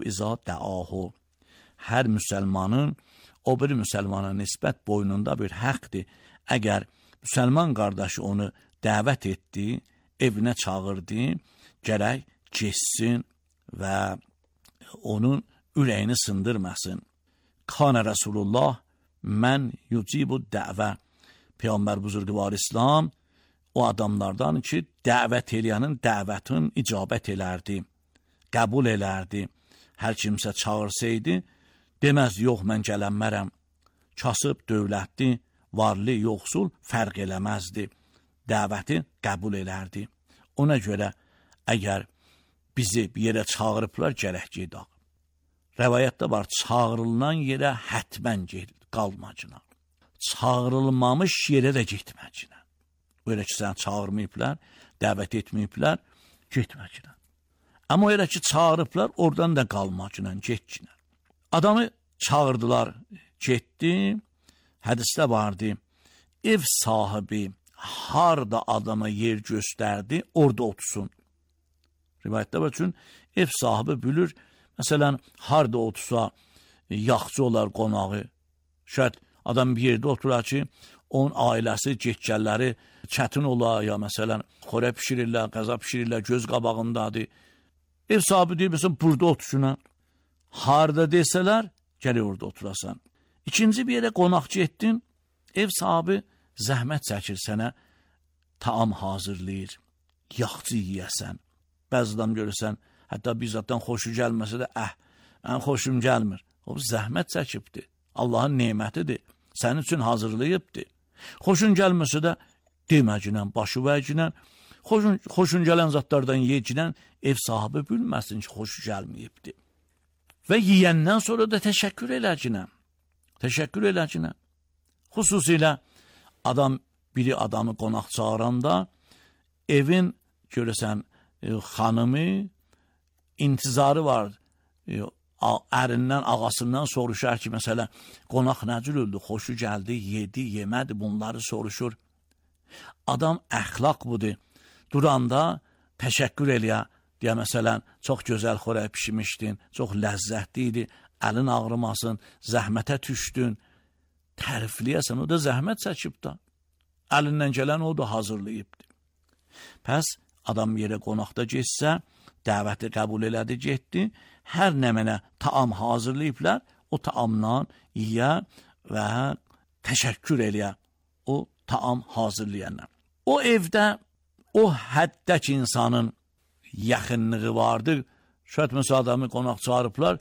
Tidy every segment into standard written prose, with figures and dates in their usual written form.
izə dəahu. Hər müsəlmanın o bir müsəlmana nisbət boynunda bir həqdir. Əgər müsəlman qardaşı onu dəvət etdi, evinə çağırdı, gərək getsin və onun ürəyini sındırmasın. Kana Rasulullah mən yucibu dəvə. Peyğəmbər buzurqvar İslam o adamlardan ki, dəvət eləyənin dəvətin icabət elərdi, qəbul elərdi. Hər kimsə çağırsaydı, deməz, yox, mən gələnmərəm. Kasıb, dövlətli, varlı, yoxsul fərq eləməzdi. Dəvəti qəbul elərdi. Ona görə, əgər bizi bir yerə çağırıblar, gərək gedək. Rəvayətdə var, çağırılan yerə hətmən qalmacına. Çağırılmamış yerə də getməcina. Öyle ki, sən çağırmayıblar, dəvət etməyiblər, getməcina. Amma öyle ki, çağırıblar, oradan da qalmacına, getcina. Adamı çağırdılar, getdi, hədisdə vardı, ev sahibi harda adama yer göstərdi, orada otursun. Rivayətdə var üçün, ev sahibi bilir, məsələn, harda otursa, yaxçı olar qonağı, şayət adam bir yerdə oturar ki, onun ailəsi, getgəlləri çətin olar, ya məsələn, xorə pişirirlər, qəza pişirirlər, göz qabağındadır. Ev sahibi deyir, məsələn, burada otursun, harda desələr, gəlir orada oturasan. İkinci bir yerə qonaqçı etdin, ev sahibi zəhmət çəkir sənə, taam hazırlayır, yaxçı yiyəsən. Bəzi adam görürsən, hətta bizzatdan xoşu gəlməsə də, mən xoşum gəlmir. O zəhmət çəkibdir, Allahın nemətidir, sənin üçün hazırlayıbdır. Xoşun gəlməsə də, deməcinən, başı vəcinən, xoşun gələn zatlardan yecinən, ev sahibi bilməsin ki, xoşu gəlməyibdir. Və yiyəndən sonra da təşəkkür eləcinən. Təşəkkür eləcinən. Xüsusilə biri adamı qonaq çağıranda, evin görəsən, xanımı intizarı var, ərindən, ağasından soruşar ki, məsələn, qonaq nəcür öldü, xoşu gəldi, yedi, yemədi, bunları soruşur. Adam əxlaq budur, duranda təşəkkür eləyə, deyə məsələn, çox gözəl xörək pişmişdin, çox ləzzətli idi, əlin ağrımasın, zəhmətə düşdün, tərifləyəsən, o da zəhmət çəkib da, əlindən gələn o da hazırlayıbdır. Pəs, adam yerə qonaqda getsə, dəvəti qəbul elədi, getdi, hər nə mənə taam hazırlayıblar, o taamdan yiyə və təşəkkür eləyə o taam hazırlayanlar. O evdə, o həddəki insanın yaxınlığı vardır. Şayət məsələn adamı qonaq çağırıblar,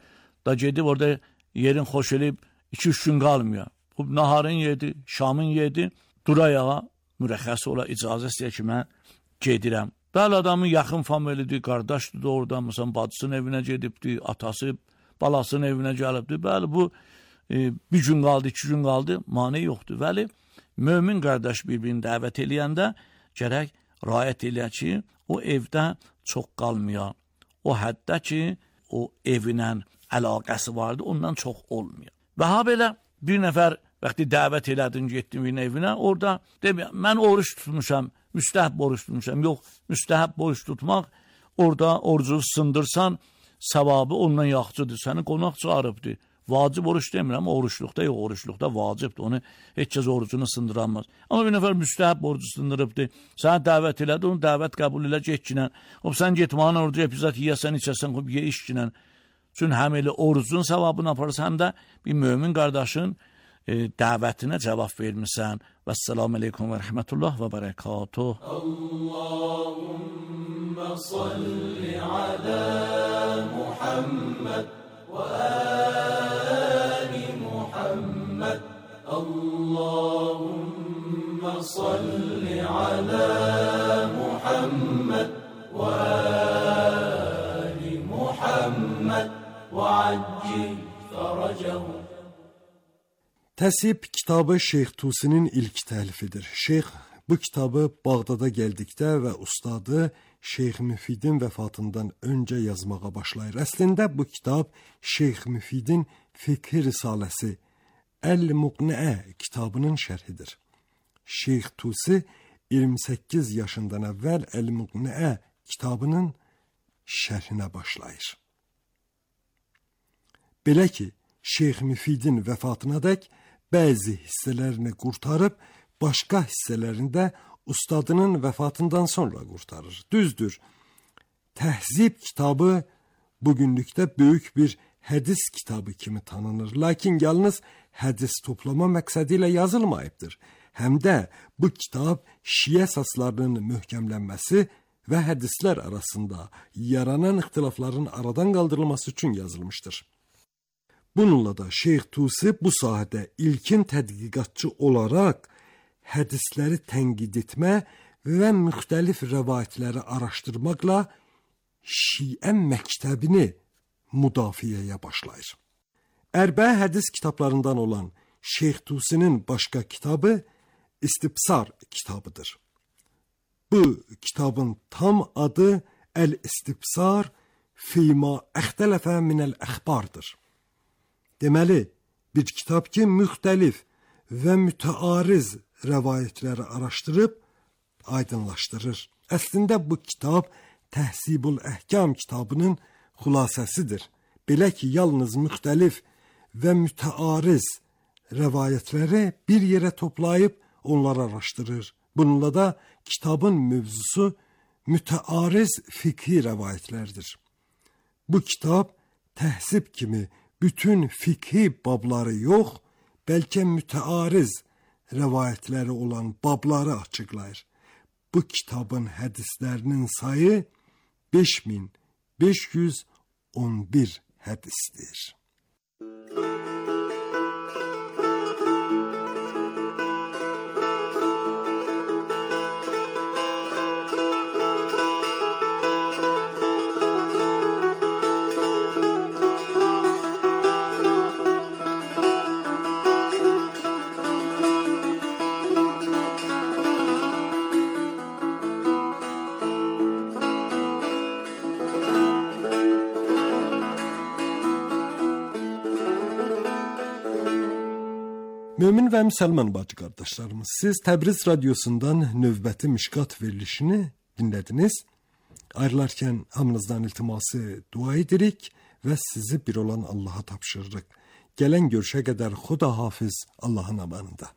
da gedib orada yerin xoş eləyib 2-3 gün qalmıyor. Bu naharın yedi, şamın yedi, durayağa mürəxəs ola, icazə istəyir ki, mən gedirəm. Bəli, adamın yaxın familidir, qardaşdır da oradan, məsələn, bacısının evinə gedibdir, atası, balasının evinə gəlibdir. Bəli, bu bir gün qaldı, 2 gün qaldı, mane yoxdur. Bəli, mömin qardaş bir-birini dəvət eləyəndə gərək rayət eləyək ki, o evdə çox qalmıyor. O həddə ki, o evinə əlaqəsi vardı, ondan çox olmuyor. Və ha belə bir nəfər vaxtı dəvət elədin, getdin bir evinə, orada deməyəm, mən oruç tutmuşam, müstəhəb oruç tutmuşam. Yox, müstəhəb oruç tutmaq, orada orucu sındırsan, savabı ondan yaxçıdır, səni qonaq çağırıbdır. Vacib oruç demirəm, oruçluqda yox, oruçluqda vacibdir, onu heç kəs orucunu sındıramaz. Amma bir nəfər müstəhəb orucu sındırıbdır, sənə dəvət elədi, onu dəvət qəbul elə getkinən, sən getmağın orucu epizat yiyəsən, içəsən, ye işkinən. Çünki həm elə orucun savabını aparırsan, həm də bir mömin qardaşın dəvətinə cavab vermirsən. Vəssalamu aleykum və rəhmətullah və bərəkatuh. Allahümmə salli alə Muhammed və əli Muhammed. Allahümmə salli alə Muhammed və əli Muhammed və accil fərəcəhu. Təsib kitabı Şeyx Tusinin ilk təlifidir. Şeyx bu kitabı Bağdada gəldikdə və ustadı Şeyx Müfidin vəfatından öncə yazmağa başlayır. Əslində bu kitab Şeyx Müfidin Fiqh Risaləsi Əl-Muqniə kitabının şərhidir. Şeyx Tusi 28 yaşından əvvəl Əl-Muqniə kitabının şərhinə başlayır. Belə ki, Şeyx Müfidin vəfatınadək bəzi hissələrini qurtarıb, başqa hissələrində ustadının vəfatından sonra qurtarır. Düzdür, Təhzib kitabı bugünlükdə böyük bir hədis kitabı kimi tanınır. Lakin yalnız hədis toplama məqsədi ilə yazılmayıbdır. Həm də bu kitab şiə əsaslarının möhkəmlənməsi və hədislər arasında yaranan ixtilafların aradan qaldırılması üçün yazılmışdır. Bununla da Şeyx Tusi bu sahədə ilkin tədqiqatçı olaraq hədisləri tənqid etmə və müxtəlif rəvayətləri araşdırmaqla Şiə məktəbini müdafiəyə başlayır. Ərбə hədis kitablarından olan Şeyx Tusinin başqa kitabı İstibsar kitabıdır. Bu kitabın tam adı Əl-İstibsar fîmâ əxtələfə minəl əxbardır. Deməli, bir kitab ki, müxtəlif və mütəariz rəvayətləri araşdırıb aydınlaşdırır. Əslində bu kitab Təhzibul Əhkam kitabının xülasəsidir. Belə ki, yalnız müxtəlif və mütəariz rəvayətləri bir yerə toplayıb onları araşdırır. Bununla da kitabın mövzusu mütəariz fiqhi rəvayətlərdir. Bu kitab təhzib kimi bütün fiqhi babları yox, bəlkə mütəariz rəvayətləri olan babları açıqlayır. Bu kitabın hədislərinin sayı 5511 hədisdir. Mömin və müsəlman bacı qardaşlarımız, siz Təbriz radiosundan növbəti Mişqat verilişini dinlədiniz. Ayrılarkən hamınızdan iltiması dua edirik və sizi bir olan Allaha tapşırırıq. Gələn görüşə qədər Xuda hafiz, Allahın amanında.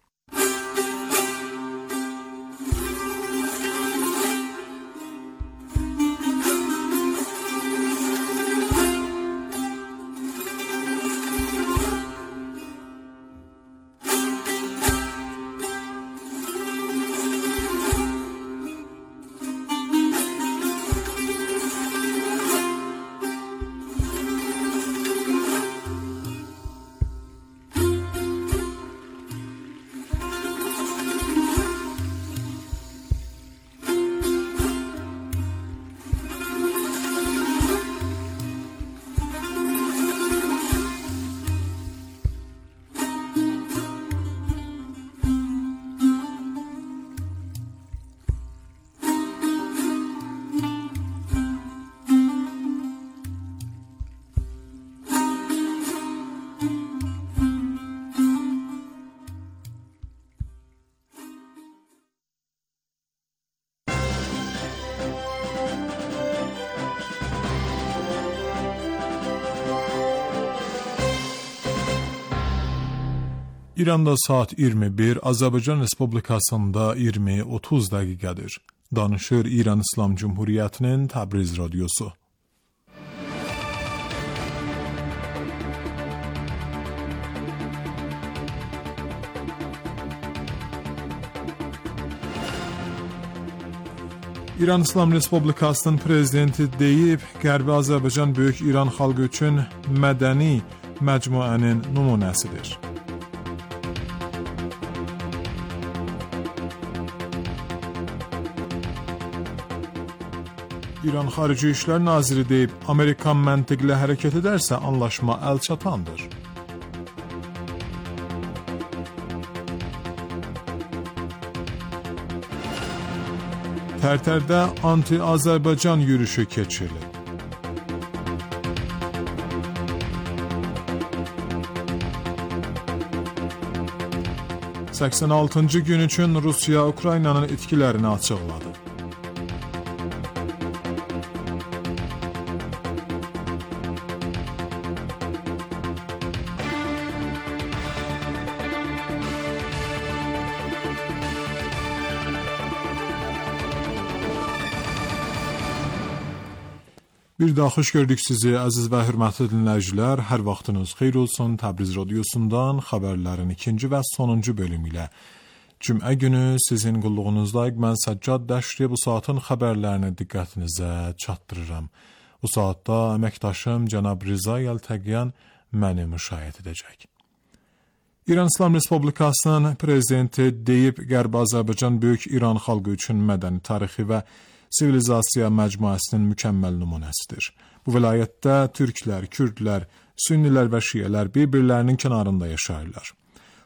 İranda saat 21, Azərbaycan Respublikasında 20:30 dəqiqədir. Danışır İran İslam Cumhuriyyətinin Təbriz radiosu. İran İslam Respublikasının prezidenti deyib, Qərbi Azərbaycan Böyük İran xalqı üçün mədəni məcmuənin nümunəsidir. İran Xarici İşlər Naziri deyib, Amerikan məntiqlə hərəkət edərsə anlaşma əlçatandır. Tərtərdə anti-Azərbaycan yürüyüşü keçirilib. ...86-cı gün üçün Rusiya Ukraynanın itkilərini açıqladı. Bir daha xoş gördük sizi əziz və hörmətli dinləyicilər. Hər vaxtınız xeyir olsun. Təbriz radiosundan xəbərlərin ikinci və sonuncu bölümü ilə Cümə günü sizin qulluğunuzdayıq. Mən Səccad Dəşri bu saatın xəbərlərini diqqətinizə çatdırıram. Bu saatda əməkdaşım cənab Rıza Yəltəqiyan məni müşayiət edəcək. İran İslam Respublikasının prezidenti deyib, Qərbi Azərbaycan böyük İran xalqı üçün mədəni, tarixi və sivilizasiya məcmuəsinin mükəmməl nümunəsidir. Bu vilayətdə türklər, kürdlər, sünnilər və şiyələr bir-birlərinin kənarında yaşayırlar.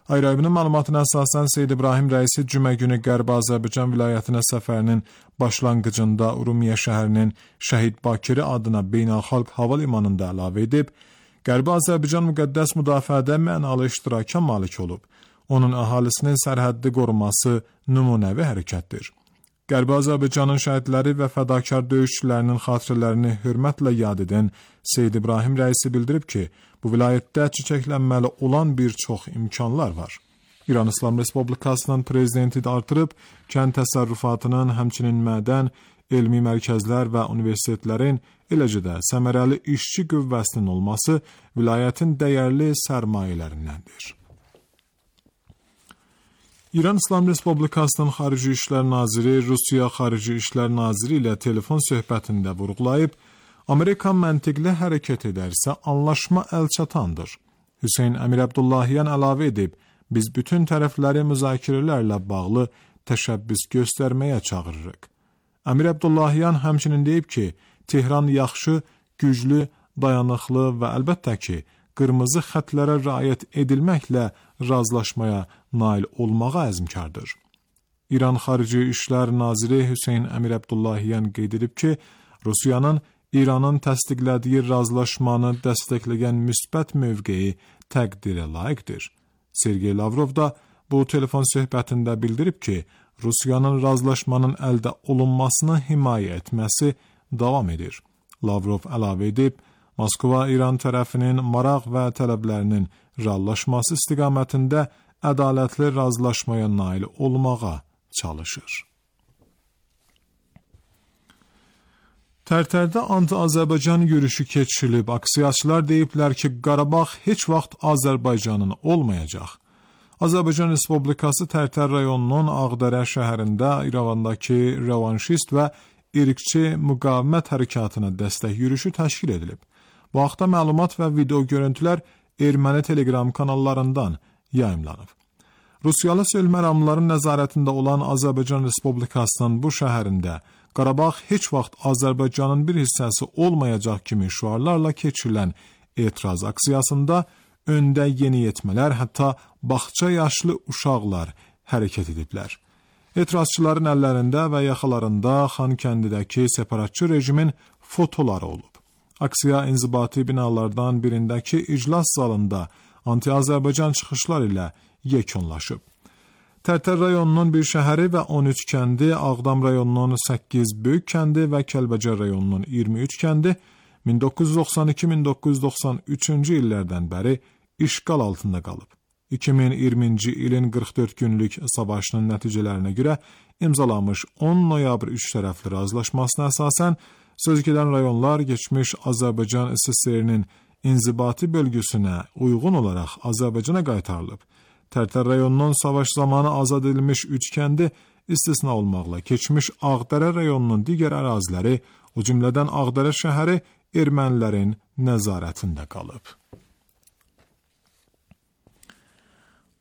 Ayrı-ayrı məlumatına əsasən Seyyid İbrahim rəisi cümə günü Qərbi Azərbaycan vilayətinə səfərinin başlanğıcında Urmiya şəhərinin Şəhid Bakiri adına beynəlxalq hava limanında əlavə edib, Qərbi Azərbaycan müqəddəs müdafiədə mənalı iştiraka malik olub. Onun əhalisinin sərhəddi qoruması nümunəvi hərəkətdir. Qərbi Azərbaycanın şəhidləri və fədakar döyüşçülərinin xatirələrini hörmətlə yad edən Seyyid İbrahim rəisi bildirib ki, bu vilayətdə çiçəklənməli olan bir çox imkanlar var. İran İslam Respublikasının prezidenti də artırıb, kənd təsərrüfatının, həmçinin mədən, elmi mərkəzlər və universitetlərin, eləcə də səmərəli işçi qüvvəsinin olması vilayətin dəyərli sərmayələrindəndir. İran İslam Respublikasının Xarici İşlər Naziri Rusiya Xarici İşlər Naziri ilə telefon söhbətində vurğulayıb, Amerika məntiqli hərəkət edərsə anlaşma əlçatandır. Hüseyn Əmir Əbdullahyan əlavə edib, biz bütün tərəfləri müzakirələrlə bağlı təşəbbüs göstərməyə çağırırıq. Əmir Əbdullahyan həmçinin deyib ki, Tehran yaxşı, güclü, dayanıqlı və əlbəttə ki, qırmızı xətlərə riayət edilməklə razılaşmaya nail olmağa əzmkardır. İran Xarici İşlər Naziri Hüseyn Əmir Əbdullahyan qeyd edib ki, Rusiyanın İranın təsdiqlədiyi razılaşmanı dəstəkləyən müsbət mövqeyi təqdirə layiqdir. Sergey Lavrov da bu telefon söhbətində bildirib ki, Rusiyanın razılaşmanın əldə olunmasını himayə etməsi davam edir. Lavrov əlavə edib, Moskva İran tərəfinin maraq və tələblərinin reallaşması istiqamətində ədalətli razılaşmaya nail olmağa çalışır. Tərtərdə anti-Azərbaycan yürüyüşü keçirilib. Aksiyaçılar deyiblər ki, Qarabağ heç vaxt Azərbaycanın olmayacaq. Azərbaycan Respublikası Tərtər rayonunun Ağdərə şəhərində İrəvandakı revanşist və irqçi müqavimət hərəkatına dəstək yürüyüşü təşkil edilib. Bu haqda məlumat və video görüntülər erməni telegram kanallarından yayımlanıb. Rusiyalı sülh məramlıların nəzarətində olan Azərbaycan Respublikasının bu şəhərində Qarabağ heç vaxt Azərbaycanın bir hissəsi olmayacaq kimi şüarlarla keçirilən etiraz aksiyasında öndə yeniyetmələr, hətta bağça yaşlı uşaqlar hərəkət ediblər. Etirazçıların əllərində və yaxalarında Xankəndidəki separatçı rejimin fotoları olub. Aksiya inzibati binalardan birindəki iclas zalında anti-Azərbaycan çıxışlar ilə yekunlaşıb. Tərtər rayonunun bir şəhəri və 13 kəndi, Ağdam rayonunun 8 böyük kəndi və Kəlbəcər rayonunun 23 kəndi 1992-1993-cü illərdən bəri işğal altında qalıb. 2020-ci ilin 44 günlük savaşının nəticələrinə görə imzalanmış 10 noyabr 3 tərəfli razılaşmasına əsasən sözgedən rayonlar geçmiş Azərbaycan SSR-nin inzibati bölgüsünə uyğun olaraq Azərbaycana qaytarılıb. Tərtər rayonunun savaş zamanı azad edilmiş 3 kəndi istisna olmaqla keçmiş Ağdərə rayonunun digər əraziləri, o cümlədən Ağdərə şəhəri ermənilərin nəzarətində qalıb.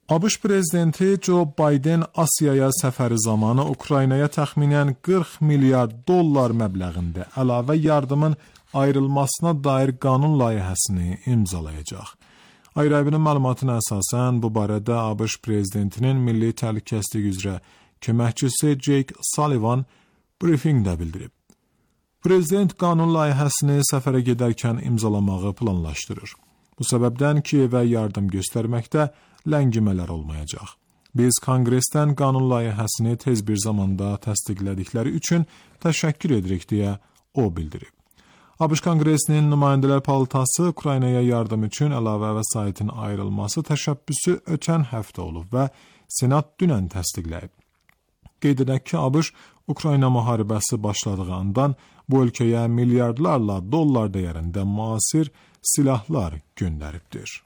ABŞ prezidenti Joe Biden Asiyaya səfəri zamanı Ukraynaya təxminən 40 milyard dollar məbləğində əlavə yardımın ayrılmasına dair qanun layihəsini imzalayacaq. Ayrı-ayrı məlumatına əsasən bu barədə ABŞ prezidentinin milli təhlükəsizlik üzrə köməkçisi Jake Sullivan briefingdə bildirib. Prezident qanun layihəsini səfərə gedərkən imzalamağı planlaşdırır. Bu səbəbdən Kiyevə yardım göstərməkdə ləngimələr olmayacaq. Biz Konqresdən qanun layihəsini tez bir zamanda təsdiqlədikləri üçün təşəkkür edirik deyə o bildirib. ABŞ Konqresinin nümayəndələr palatası Ukraynaya yardım üçün əlavə vəsaitin ayrılması təşəbbüsü ötən həftə olub və Senat dünən təsdiqləyib. Qeyd edək ki, ABŞ Ukrayna müharibəsi başladığı andan bu ölkəyə milyardlarla dollar dəyərində müasir silahlar göndəribdir.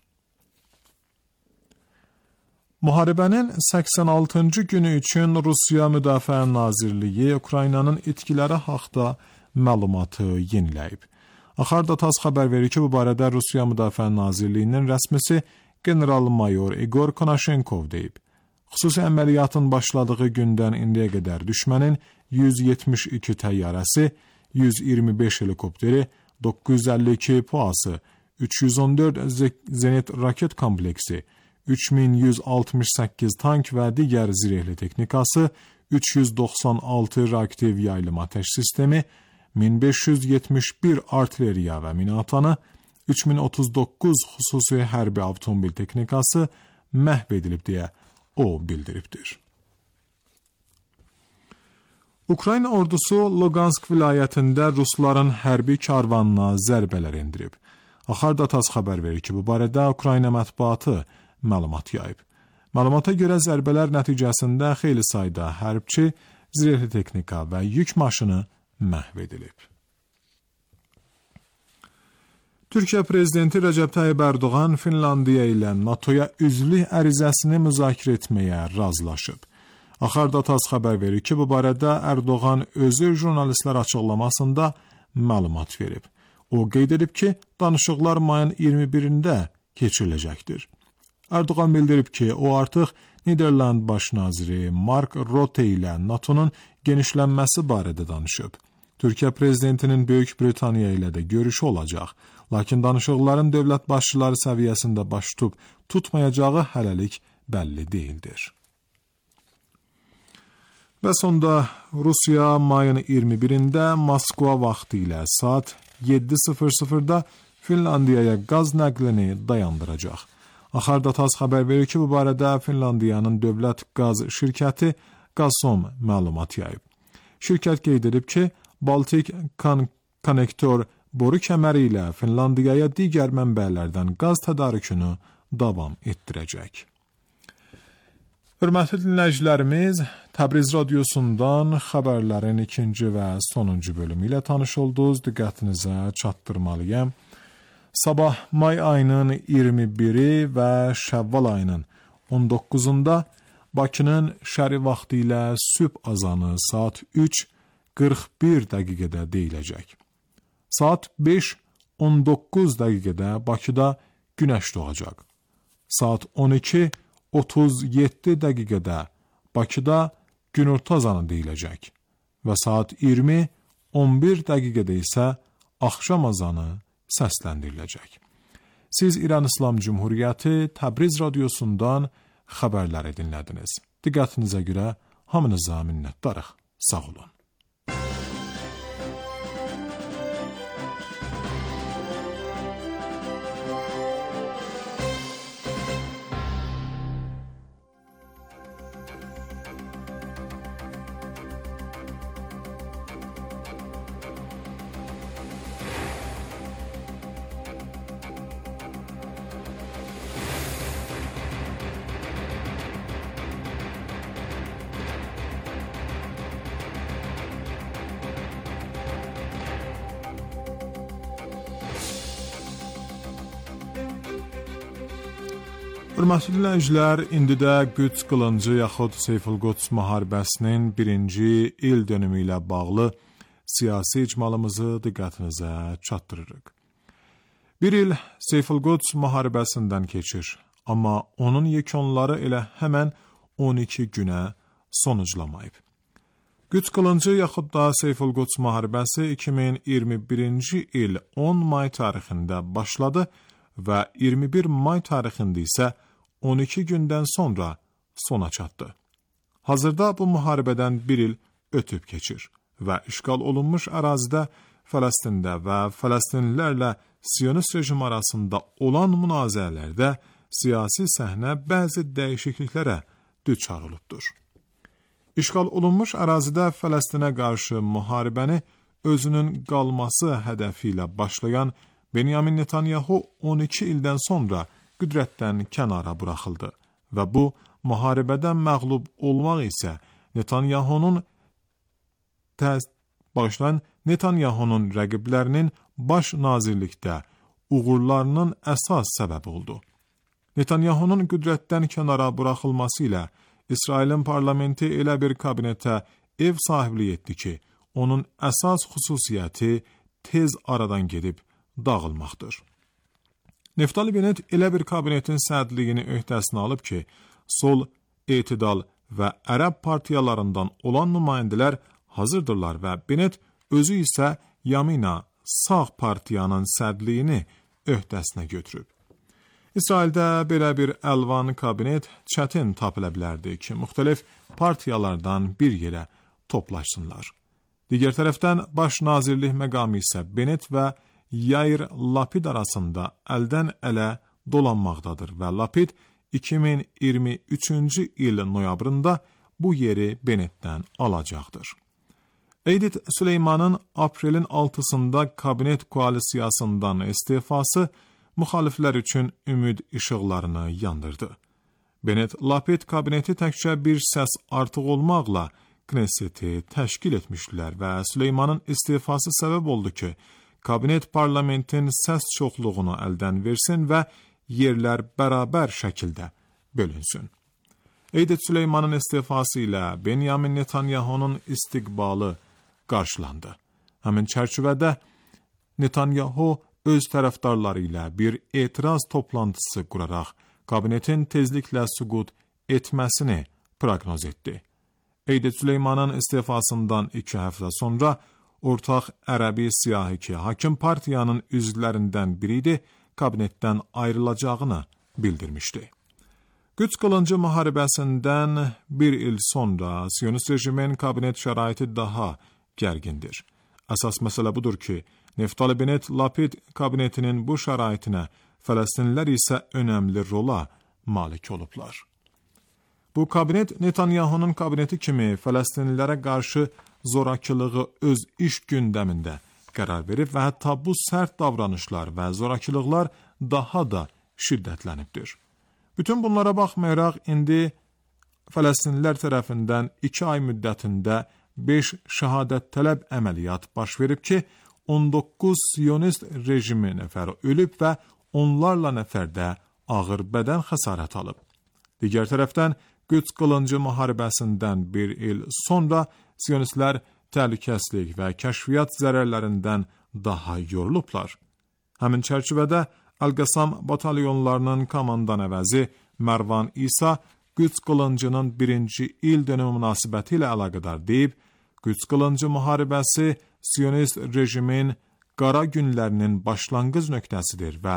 Müharibənin 86-cı günü üçün Rusiya Müdafiə Nazirliyi Ukraynanın itkiləri haqda məlumatı yeniləyib. Axar Datas xəbər verir ki, bu barədə Rusiya Müdafiə Nazirliyinin rəsmisi general-mayor Igor Konashenkov deyib. Xüsusi əməliyyatın başladığı gündən indiyə qədər düşmənin 172 təyyarəsi, 125 helikopteri, 952 PUA-sı, 314 zenit raket kompleksi, 3168 tank və digər zirehli texnikası, 396 reaktiv yaylım atəş sistemi, 1571 artilleriya və minatanı, 3039 xüsusi hərbi avtomobil texnikası məhv edilib deyə o bildiribdir. Ukrayna ordusu Lugansk vilayətində Rusların hərbi karvanına zərbələr endirib. Axar Datas xəbər verir ki, bu barədə Ukrayna mətbuatı məlumat yayıb. Məlumata görə zərbələr nəticəsində xeyli sayda hərbçi, zirehli texnika və yük maşını məhv edilib. Türkiyə prezidenti Rəcəb Tayyib Ərdoğan Finlandiya ilə NATOya üzvlük ərizəsini müzakirə etməyə razılaşıb. Axar Datas xəbər verir ki, bu barədə Ərdoğan özü jurnalistlər açıqlamasında məlumat verib. O qeyd edib ki, danışıqlar mayın 21-də keçiriləcəkdir. Ərdoğan bildirib ki, o artıq Niderland baş naziri Mark Rutte ilə NATO'nun genişlənməsi barədə danışıb. Türkiyə prezidentinin Böyük Britaniya ilə də görüşü olacaq, lakin danışıqların dövlət başçıları səviyyəsində baş tutmayacağı hələlik bəlli deyildir. Və sonda Rusiya mayın 21-də Moskva vaxtı ilə saat 7:00-da Finlandiyaya qaz nəqlini dayandıracaq. Axar Datas xəbər verir ki, bu barədə Finlandiyanın dövlət qaz şirkəti Gazprom məlumat yayıb. Şirkət qeyd edib ki, Baltik konnektor boru kəməri ilə Finlandiyaya digər mənbələrdən qaz tədarükünü davam etdirəcək. Hörmətli dinləyicilərimiz, Təbriz radiosundan xəbərlərin ikinci və sonuncu bölümü ilə tanış oldunuz. Diqqətinizə çatdırmalıyam. Sabah may ayının 21-i və Şəvval ayının 19-unda Bakının şəri vaxtı ilə sübh azanı saat 3:41 dəqiqədə deyiləcək. Saat 5:19 dəqiqədə Bakıda günəş doğacaq. Saat 12:37 dəqiqədə Bakıda günorta azanı deyiləcək və saat 20:11 dəqiqədə isə axşam azanı səsləndiriləcək. Siz İran İslam Cumhuriyyəti Təbriz radiosundan xəbərləri dinlədiniz. Diqqətinizə görə hamınıza minnətdarıq. Sağ olun. Hörmətli dinləyicilər, indi də Qüds qılıncı yaxud Seyful-Quds müharibəsinin 1-ci il dönümü ilə bağlı siyasi icmalımızı diqqətinizə çatdırırıq. Bir il Seyful-Quds müharibəsindən keçir, amma onun yekunları elə həmən 12 günə sonuclamayıb. Qüds qılıncı yaxud da Seyful-Quds müharibəsi 2021-ci il 10 may tarixində başladı və 21 may tarixində isə 12 gündən sonra sona çatdı. Hazırda bu müharibədən bir il ötüb keçir və işğal olunmuş ərazidə Fələstində və Fələstinlilərlə Siyonist rejim arasında olan münazirələrdə siyasi səhnə bəzi dəyişikliklərə düçar olubdur. İşğal olunmuş ərazidə Fələstinə qarşı müharibəni özünün qalması hədəfi ilə başlayan Benyamin Netanyahu 12 ildən sonra qüdrətdən kənara buraxıldı və bu müharibədən məğlub olmaq isə Netanyahunun Bağışlayın, Netanyahunun rəqiblərinin baş nazirlikdə uğurlarının əsas səbəbi oldu. Netanyahunun qüdrətdən kənara buraxılması ilə İsrailin parlamenti elə bir kabinetə ev sahibliyi etdi ki, onun əsas xüsusiyyəti tez aradan gedib dağılmaqdır. Naftali Bennett elə bir kabinetin sədrliyini öhdəsinə alıb ki, sol, etidal və ərəb partiyalarından olan nümayəndələr hazırdırlar və Bennett özü isə Yamina, sağ partiyanın sədrliyini öhdəsinə götürüb. İsraildə belə bir əlvan kabinet çətin tapıla bilərdi ki, müxtəlif partiyalardan bir yerə toplaşsınlar. Digər tərəfdən baş nazirlik məqamı isə Bennett və Yair Lapid arasında əldən ələ dolanmaqdadır və Lapid 2023-cü il noyabrında bu yeri Bennettdən alacaqdır. Eydit Süleymanın aprelin 6-sında kabinet koalisiyasından istifası müxaliflər üçün ümid işıqlarını yandırdı. Bennett Lapid kabineti təkcə bir səs artıq olmaqla Knesset'i təşkil etmişdilər və Süleymanın istifası səbəb oldu ki, kabinet parlamentin səs çoxluğunu əldən versin və yerlər bərabər şəkildə bölünsün. Eydit Süleymanın istifası ilə Benjamin Netanyahunun istiqbalı qarşılandı. Həmin çərçivədə Netanyahu öz tərəfdarları ilə bir etiraz toplantısı quraraq kabinetin tezliklə süqut etməsini proqnoz etdi. Eydit Süleymanın istifasından 2 həftə sonra ortaq ərəbi siyahı ki, hakim partiyanın üzvlərindən biri idi, kabinetdən ayrılacağını bildirmişdi. Qüds qılıncı müharibəsindən bir il sonra Siyonist rejimin kabinet şəraiti daha gərgindir. Əsas məsələ budur ki, Naftali Bennett Lapid kabinetinin bu şəraitinə, Fələstinlilər isə önəmli rola malik olublar. Bu kabinet Netanyahunun kabineti kimi Fələstinlilərə qarşı zorakılığı öz iş gündəmində qərar verib və hətta bu sərt davranışlar və zorakılıqlar daha da şiddətlənibdir. Bütün bunlara baxmayaraq, indi Fələstinlilər tərəfindən 2 ay müddətində 5 şəhadət tələb əməliyyat baş verib ki, 19 Siyonist rejimi nəfəri ölüb və onlarla nəfərdə ağır bədən xəsarət alıb. Digər tərəfdən, Qüds qılıncı müharibəsindən bir il sonra Siyonistlər təhlükəsizlik və kəşfiyyat zərərlərindən daha yorulublar. Həmin çərçivədə Əl-Qəssam batalyonlarının komandan əvəzi Mərvan İsa Qüds qılıncının 1-ci il dönümü münasibəti ilə əlaqədar deyib, Qüds qılıncı müharibəsi Siyonist rejimin qara günlərinin başlanğıc nöqtəsidir və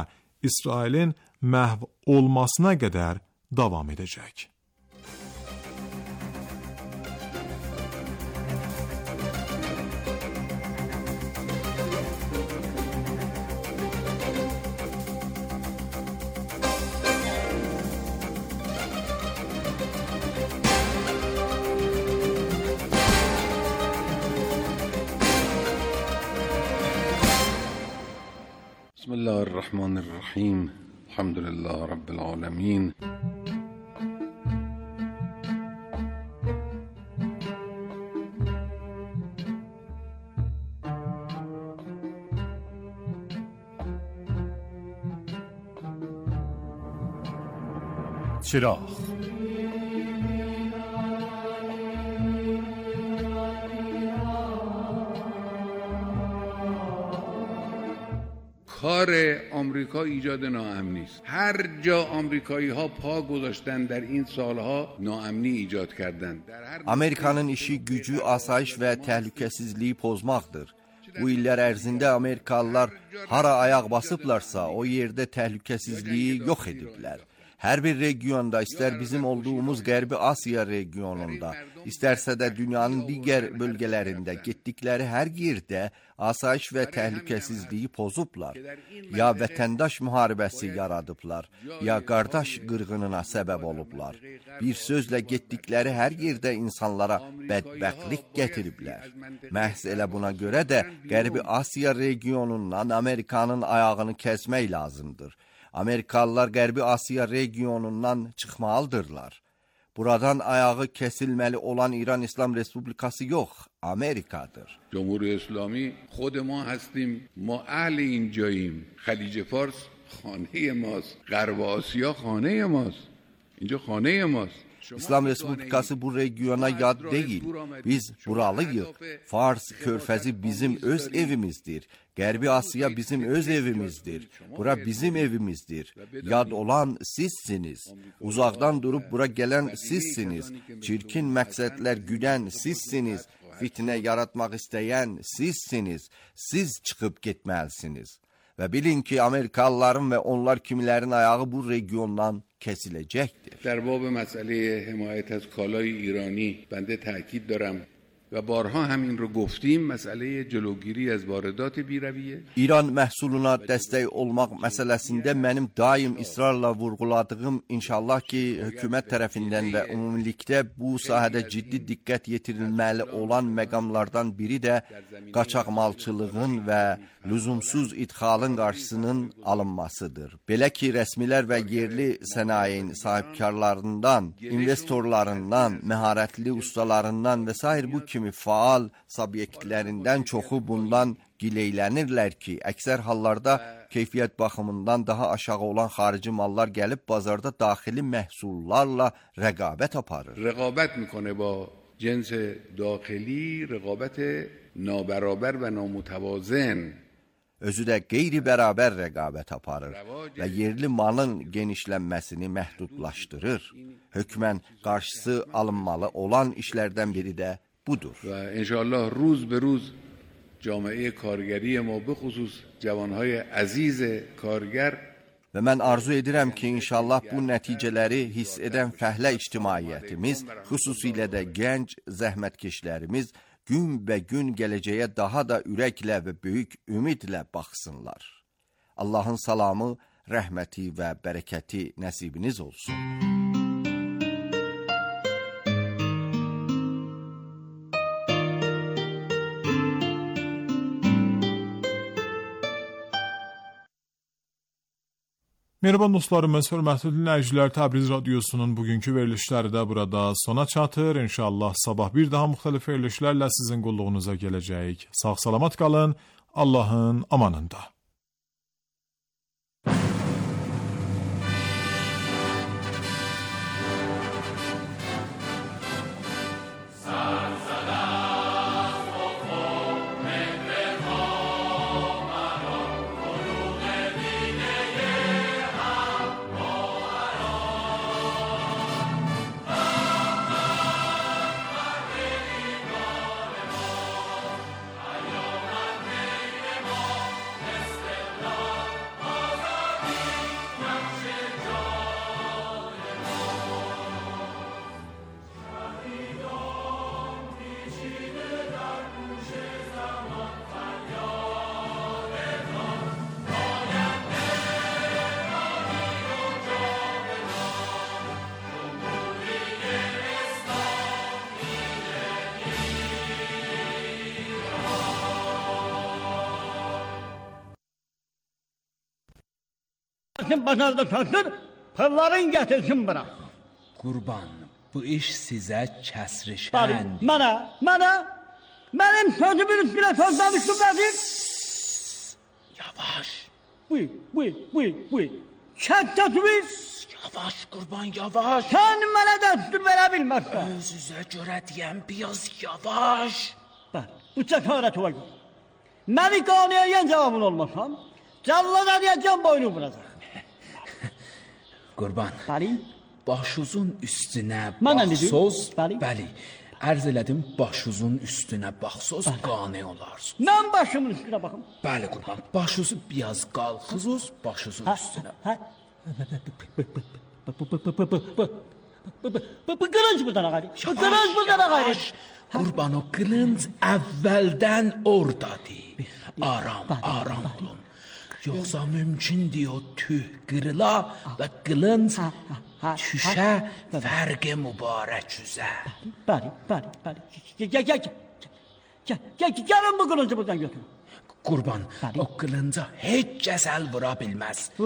İsrailin məhv olmasına qədər davam edəcək. Bismillahirrahmanirrahim. Elhamdülillah Rabbil alemin. چراغ کار آمریکا ایجاد ناامنی است. هر جا آمریکایی ها پا گذاشتن در این سالها ناامنی ایجاد کردند. Amerikanın işi gücü, asayiş və təhlükəsizliyi pozmaqdır. Bu illər ərzində Amerikalılar hara ayaq basıblarsa o yerdə təhlükəsizliyi yox ediblər. Hər bir regionda, istər bizim olduğumuz Qərbi Asiya regionunda, istərsə də dünyanın digər bölgələrində getdikləri hər yerdə asayiş və təhlükəsizliyi pozublar. Ya vətəndaş müharibəsi yaradıblar, ya qardaş qırğınına səbəb olublar. Bir sözlə getdikləri hər yerdə insanlara bədbəxtlik gətiriblər. Məhz elə buna görə də Qərbi Asiya regionundan Amerikanın ayağını kəsmək lazımdır. Amerikalılar Qərbi Asiya regionundan çıxmalıdırlar. Buradan ayağı kesilmeli olan İran İslam Respublikası yok, Amerika'dır. جمهوری اسلامی خود ما هستیم ما اهل این جاییم خلیج فارس خانه ماست غرب آسیا خانه ماست اینجا خانه ماست İslam Respublikası bu regiona yad değil. Biz buralıyız. Fars körfezi bizim öz evimizdir. Gərbi Asiya bizim öz evimizdir. Bura bizim evimizdir. Yad olan sizsiniz. Uzaqdan durub bura gələn sizsiniz. Çirkin məqsədlər güdən sizsiniz. Fitnə yaratmaq istəyən sizsiniz. Siz çıxıb getməlisiniz. Və bilin ki, Amerikalıların və onlar kimilərin ayağı bu regiondan kesiləcəkdir. در باب مسئله حمایت از کالای ایرانی بنده تأکید دارم و بارها همین رو گفتیم مسئله جلوگیری از واردات بی‌رویه. İran məhsuluna dəstək olmaq məsələsində mənim daim israrla vurğuladığım inşallah ki, hökumət tərəfindən və ümumilikdə bu sahədə ciddi diqqət yetirilməli olan məqamlardan biri də qaçaqmalçılığın və lüzumsuz idxalın qarşısının alınmasıdır. Belə ki, rəsmilər və yerli sənayenin sahibkarlarından, investorlarından, məharətli ustalarından və s. bu kimi faal subyektlərindən çoxu bundan gileylənirlər ki, əksər hallarda keyfiyyət baxımından daha aşağı olan xarici mallar gəlib bazarda daxili məhsullarla rəqabət aparır. رقابت میکنه با جنس داخلی رقابت نابرابر و نامتوازن. Özü də qeyri-bərabər rəqabət aparır və yerli malın genişlənməsini məhdudlaşdırır. Hökmən qarşısı alınmalı olan işlərdən biri də budur. و انشاءالله روز به روز جامعه کارگری ما به خصوص جوانهای عزیز کارگر Və mən arzu edirəm ki, inşallah bu nəticələri hiss edən fəhlə ictimaiyyətimiz, xüsusilə də gənc zəhmətkeşlərimiz gün gələcəyə daha da ürəklə və böyük ümidlə baxsınlar. Allahın salamı, rəhməti və bərəkəti nəsibiniz olsun. Mehriban dostlarımız, hörmətli dinləyicilər, Təbriz Radiosunun bugünkü verilişləri də burada sona çatır. İnşallah sabah bir daha müxtəlif verilişlərlə sizin qulluğunuza gələcəyik. Sağ-salamat qalın, Allahın amanında. Bazarda satır, pırların getirsin bırak. Qurban, bu iş sizə kəsri Bari, şən. benim sözümün üstüne sözlemiştim Nazir. Yavaş, Buyur. Çek sözümü. yavaş Qurban, yavaş. Sen bana destur verebilmezsen. Özünüzə görə deyəm, biraz yavaş. Bak, bu cesaret var. Beni kanıya yen cevabın olmasam, callada diyeceğim boynu vuracak. Qurban, başınızın üstünə Mənə baxsız, dedim? bəli, ərz elədim, başınızın üstünə baxsız, qane olarsınız. Ben başımın üstüne bakım. Bəli Qurban, başınızı biraz qalxızız, başınızın üstünə. Bu kılınç buradan gayri. Bu kılınç buradan gayri. Qurban, o qılınc əvvəldən oradadır. Aram olun. Yoxsa mümkündür o tüh qırıla və qılınc düşə fərqi mübarək üzə. Bəli. Gəlin bu kılıncı buradan götürün. Qurban, o qılınca heç kəs əl vura bilməz. Bu,